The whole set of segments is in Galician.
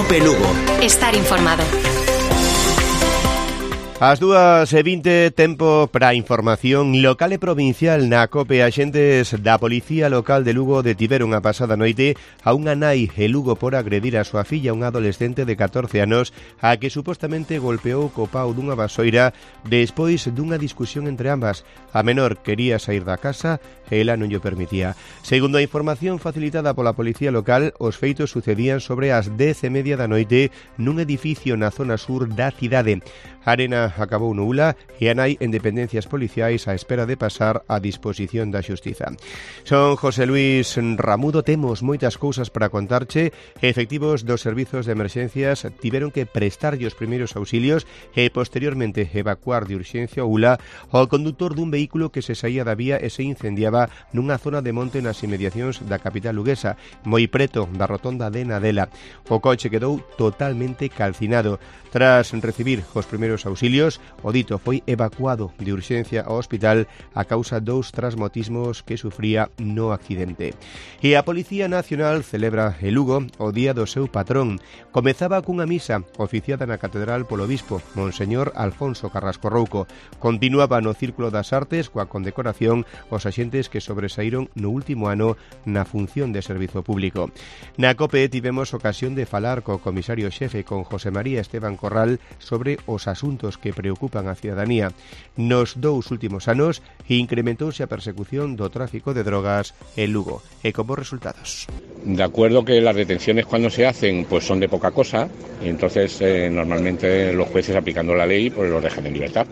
COPE Lugo. Estar informado. As 2:20, tempo para información local e provincial na COPE. Axentes da Policía Local de Lugo detiveron a pasada noite a unha nai en Lugo por agredir a súa filla, unha adolescente de 14 anos, a que supostamente golpeou co pau dunha vasoira despois dunha discusión entre ambas. A menor quería sair da casa e ela non llo permitía. Segundo a información facilitada pola Policía Local, os feitos sucedían sobre as 10:30 da noite nun edificio na zona sur da cidade. A arena acabou nula e a nai en dependencias policiais á espera de pasar a disposición da xustiza. Son José Luis Ramudo, temos moitas cousas para contarche. Efectivos dos servizos de emerxencias tiveron que prestarlle os primeiros auxilios e posteriormente evacuar de urxencia Ula ao conductor dun vehículo que se saía da vía e se incendiaba nunha zona de monte nas inmediacións da capital luguesa, moi preto da rotonda de Nadela. O coche quedou totalmente calcinado. Tras recibir os primeiros auxilios, o dito foi evacuado de urxencia ao hospital a causa dos trasmotismos que sufría no accidente. E a Policía Nacional celebra en Lugo o día do seu patrón. Comezaba cunha misa oficiada na Catedral polo Bispo, Monseñor Alfonso Carrasco Rouco. Continuaba no Círculo das Artes coa condecoración os axentes que sobresaíron no último ano na función de servizo público. Na COPE tivemos ocasión de falar co comisario xefe, con José María Esteban Corral, sobre os asuntos que preocupan a cidadanía. Nos 2 últimos anos incrementouse a persecución do tráfico de drogas en Lugo, e como resultados. De acuerdo que las detenciones cuando se hacen pues son de poca cosa, y entonces normalmente los jueces, aplicando la ley, pues los dejan en libertad.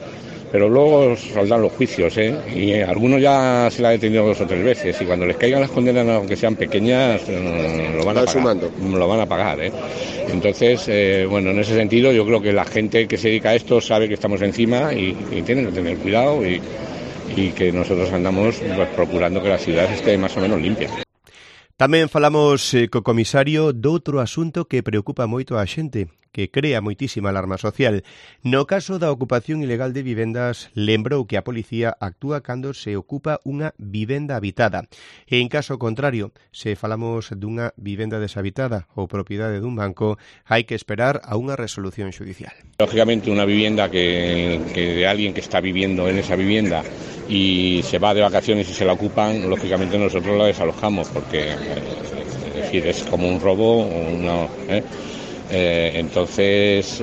Pero luego saldrán los juicios, y algunos ya se la han detenido 2 o 3 veces, y cuando les caigan las condenas, aunque sean pequeñas, lo van a pagar. Lo van a pagar, Entonces, bueno, en ese sentido yo creo que la gente que se dedica a esto sabe que estamos encima y tienen que tener cuidado y que nosotros andamos pues procurando que la ciudad esté más o menos limpia. Tamén falamos co comisario doutro asunto que preocupa moito a xente, que crea moitísima alarma social. No caso da ocupación ilegal de vivendas, lembrou que a policía actúa cando se ocupa unha vivenda habitada. E en caso contrario, se falamos dunha vivenda deshabitada ou propiedade dun banco, hai que esperar a unha resolución xudicial. Lógicamente, una vivienda que de alguien que está viviendo en esa vivienda y se va de vacaciones y se la ocupan, lógicamente nosotros la desalojamos porque es decir, es como un robo, entonces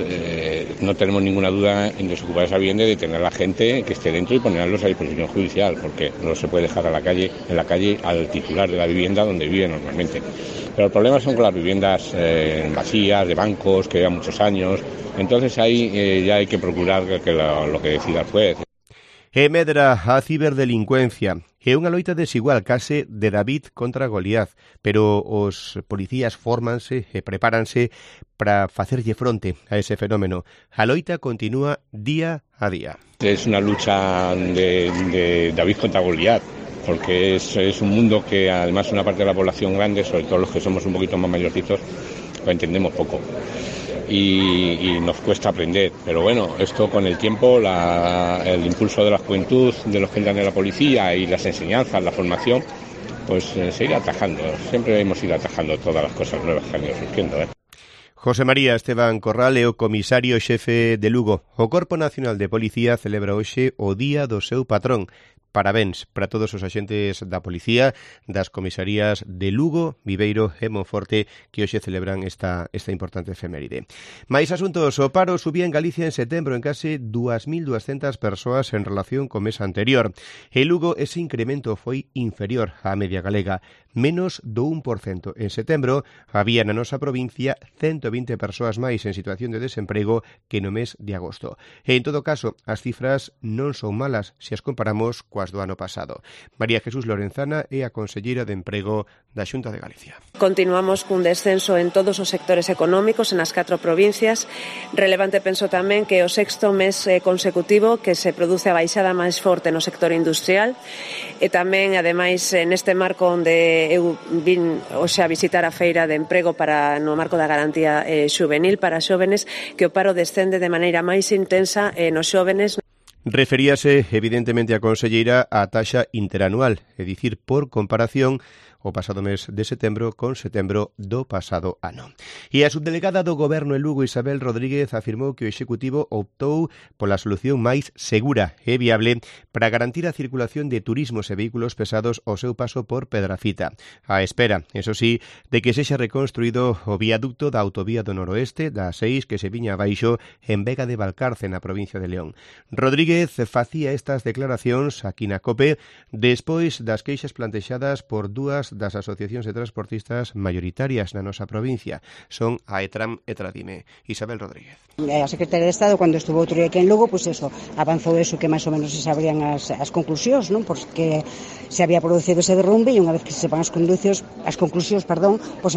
no tenemos ninguna duda en desocupar esa vivienda y detener a la gente que esté dentro y ponerlos a disposición judicial, porque no se puede dejar en la calle al titular de la vivienda donde vive normalmente. Pero el problema son con las viviendas vacías, de bancos, que llevan muchos años. Entonces ahí ya hay que procurar que lo que decida el juez. E medra a ciberdelincuencia. É unha loita desigual, case de David contra Goliat, pero os policías fórmanse e prepáranse para facerlle fronte a ese fenómeno. A loita continúa día a día. Es una lucha de David contra Goliat, porque es un mundo que además una parte de la población grande, sobre todo los que somos un poquito más mayorcitos, lo entendemos poco. Y nos cuesta aprender, pero bueno, esto con el tiempo, el impulso de la juventud, de los que entran en la policía y las enseñanzas, la formación, pues se irá atajando. Siempre hemos ido atajando todas las cosas nuevas que han ido surgiendo. José María Esteban Corral é o comisario xefe de Lugo. O Corpo Nacional de Policía celebra hoxe o día do seu patrón. Parabéns para todos os axentes da policía, das comisarías de Lugo, Viveiro e Monforte, que hoxe celebran esta importante efeméride. Mais asuntos, o paro subía en Galicia en setembro en case 2.200 persoas en relación co mes anterior. En Lugo ese incremento foi inferior á media galega, menos do 1%. En setembro había na nosa provincia 120 persoas máis en situación de desemprego que no mes de agosto. E en todo caso, as cifras non son malas se as comparamos coas do ano pasado. María Jesús Lorenzana é a conselleira de Emprego da Xunta de Galicia. Continuamos cun descenso en todos os sectores económicos en as 4 provincias. Relevante penso tamén que o 6º mes consecutivo que se produce a baixada máis forte no sector industrial e tamén, ademais, neste marco onde eu vin hoxe a visitar a feira de emprego no marco da garantía xuvenil para xóvenes, que o paro descende de maneira máis intensa nos xóvenes. Referíase, evidentemente, a conselleira á taxa interanual, é dicir, por comparación, o pasado mes de setembro con setembro do pasado ano. E a subdelegada do Goberno en Lugo, Isabel Rodríguez, afirmou que o Executivo optou pola solución máis segura e viable para garantir a circulación de turismos e vehículos pesados ao seu paso por Pedrafita. A espera, eso sí, de que sexa reconstruído o viaducto da autovía do noroeste da 6 que se viña abaixo en Vega de Valcarce, na provincia de León. Rodríguez facía estas declaracións aquí na COPE despois das queixas plantexadas por dúas das asociacións de transportistas mayoritarias na nosa provincia. Son a ETRAM e Tradime. Isabel Rodríguez. A Secretaria de Estado, cando estuvo outro día aquí en Lugo, avanzou eso, que máis ou menos se sabrían as conclusións, non? Porque se había producido ese derrumbe e unha vez que se sepan as conclusións,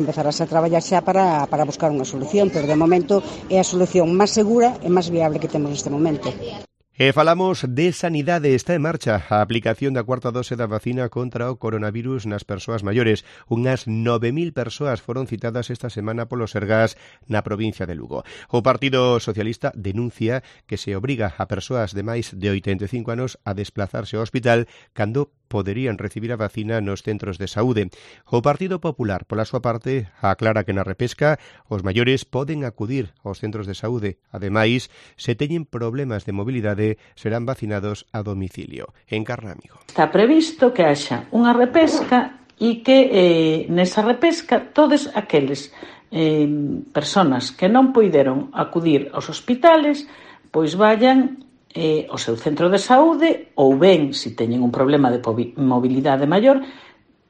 empezarás a traballar xa para buscar unha solución, pero de momento é a solución máis segura e máis viable que temos neste momento. E falamos de sanidade. Está en marcha a aplicación da cuarta dose da vacina contra o coronavirus nas persoas maiores. Unhas 9.000 persoas foron citadas esta semana polo Sergas na provincia de Lugo. O Partido Socialista denuncia que se obriga a persoas de máis de 85 anos a desplazarse ao hospital cando poderían recibir a vacina nos centros de saúde. O Partido Popular, pola súa parte, aclara que na repesca os maiores poden acudir aos centros de saúde. Ademais, se teñen problemas de mobilidade, serán vacinados a domicilio. En Carnamigo. Está previsto que haxa unha repesca e que nesa repesca todos aqueles personas que non poideron acudir aos hospitales pois vayan ao seu centro de saúde ou ben, se teñen un problema de mobilidade maior,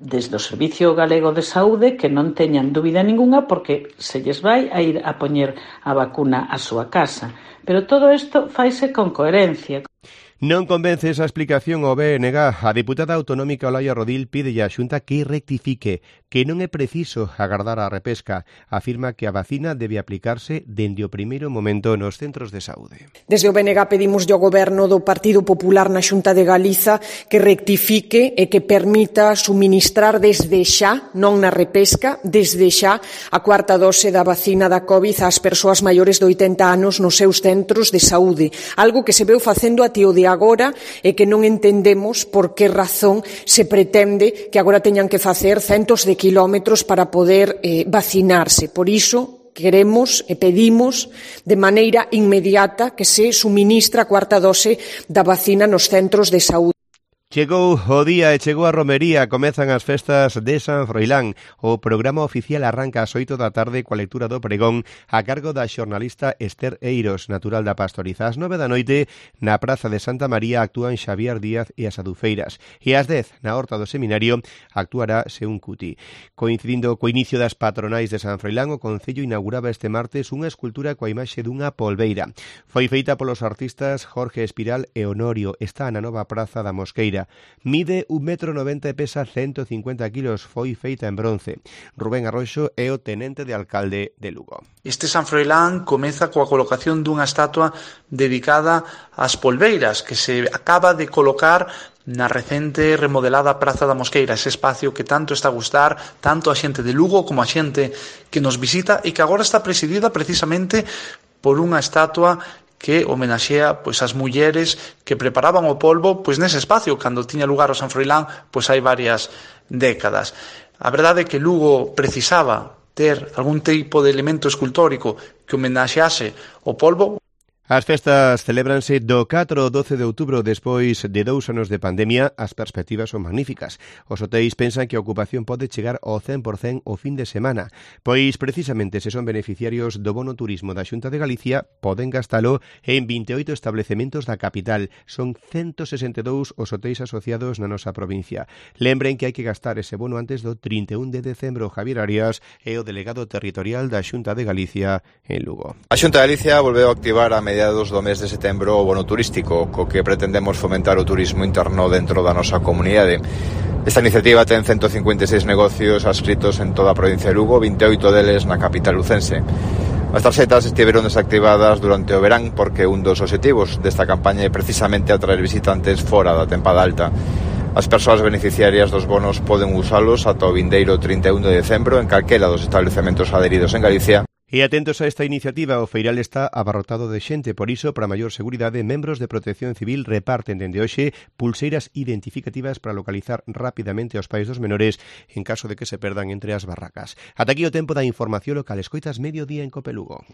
desde o Servicio Galego de Saúde, que non teñan dúbida ninguna porque se lles vai a ir a poñer a vacuna á súa casa. Pero todo isto faise con coherencia. Non convence esa explicación ao BNG. A diputada autonómica Olaia Rodil pide á Xunta que rectifique, que non é preciso agardar a repesca. Afirma que a vacina debe aplicarse dende o primeiro momento nos centros de saúde. Desde o BNG pedimos ao Goberno do Partido Popular na Xunta de Galiza que rectifique e que permita suministrar desde xa, non na repesca, desde xa a cuarta dose da vacina da COVID ás persoas maiores de 80 anos nos seus centros de saúde. Algo que se veu facendo a tío de agora e que non entendemos por que razón se pretende que agora teñan que facer centos de kilómetros para poder vacinarse. Por iso queremos e pedimos de maneira inmediata que se suministra a cuarta dose da vacina nos centros de saúde. Chegou o día e chegou a romería, comezan as festas de San Froilán. O programa oficial arranca ás 8 da tarde coa lectura do pregón a cargo da xornalista Esther Eiros, natural da Pastoriza. Ás 9 da noite, na Praza de Santa María, actúan Xavier Díaz e as Adufeiras. E ás 10, na Horta do Seminario, actuará Seún Cuti. Coincidindo co inicio das patronais de San Froilán, o Concello inauguraba este martes unha escultura coa imaxe dunha polbeira. Foi feita polos artistas Jorge Espiral e Honorio. Está na nova Praza da Mosqueira. Mide 1,90 m e pesa 150 kilos. Foi feita en bronce. Rubén Arroxo é o tenente de alcalde de Lugo. Este San Froilán comeza coa colocación dunha estatua dedicada ás polbeiras que se acaba de colocar na recente remodelada Praza da Mosqueira, ese espacio que tanto está a gustar tanto a xente de Lugo como a xente que nos visita e que agora está presidida precisamente por unha estatua que homenaxea pois as mulleres que preparaban o polvo pois nese espacio cando tiña lugar o San Froilán pois hai varias décadas. A verdade é que Lugo precisaba ter algún tipo de elemento escultórico que homenaxease o polvo. As festas celébranse do 4 ao 12 de outubro. Despois de 2 anos de pandemia, as perspectivas son magníficas. Os hotéis pensan que a ocupación pode chegar ao 100% o fin de semana, pois precisamente se son beneficiarios do bono turismo da Xunta de Galicia, poden gastalo en 28 establecementos da capital. Son 162 os hotéis asociados na nosa provincia. Lembren que hai que gastar ese bono antes do 31 de decembro. Javier Arias é o delegado territorial da Xunta de Galicia en Lugo. A Xunta de Galicia volveu a activar a mediados do mes de setembro o bono turístico, co que pretendemos fomentar o turismo interno dentro da nosa comunidade. Esta iniciativa ten 156 negocios adscritos en toda a provincia de Lugo, 28 deles na capital lucense. As tarxetas estiveron desactivadas durante o verán porque un dos obxectivos desta campaña é precisamente atraer visitantes fora da tempada alta. As persoas beneficiarias dos bonos poden usalos ata o vindeiro 31 de decembro en calquera dos establecementos adheridos en Galicia. E atentos a esta iniciativa, o feiral está abarrotado de xente, por iso, para maior seguridade, membros de Protección Civil reparten dende hoxe pulseiras identificativas para localizar rapidamente aos pais dos menores en caso de que se perdan entre as barracas. Ata aquí o tempo da información local. Escoitas Mediodía en Cope Lugo.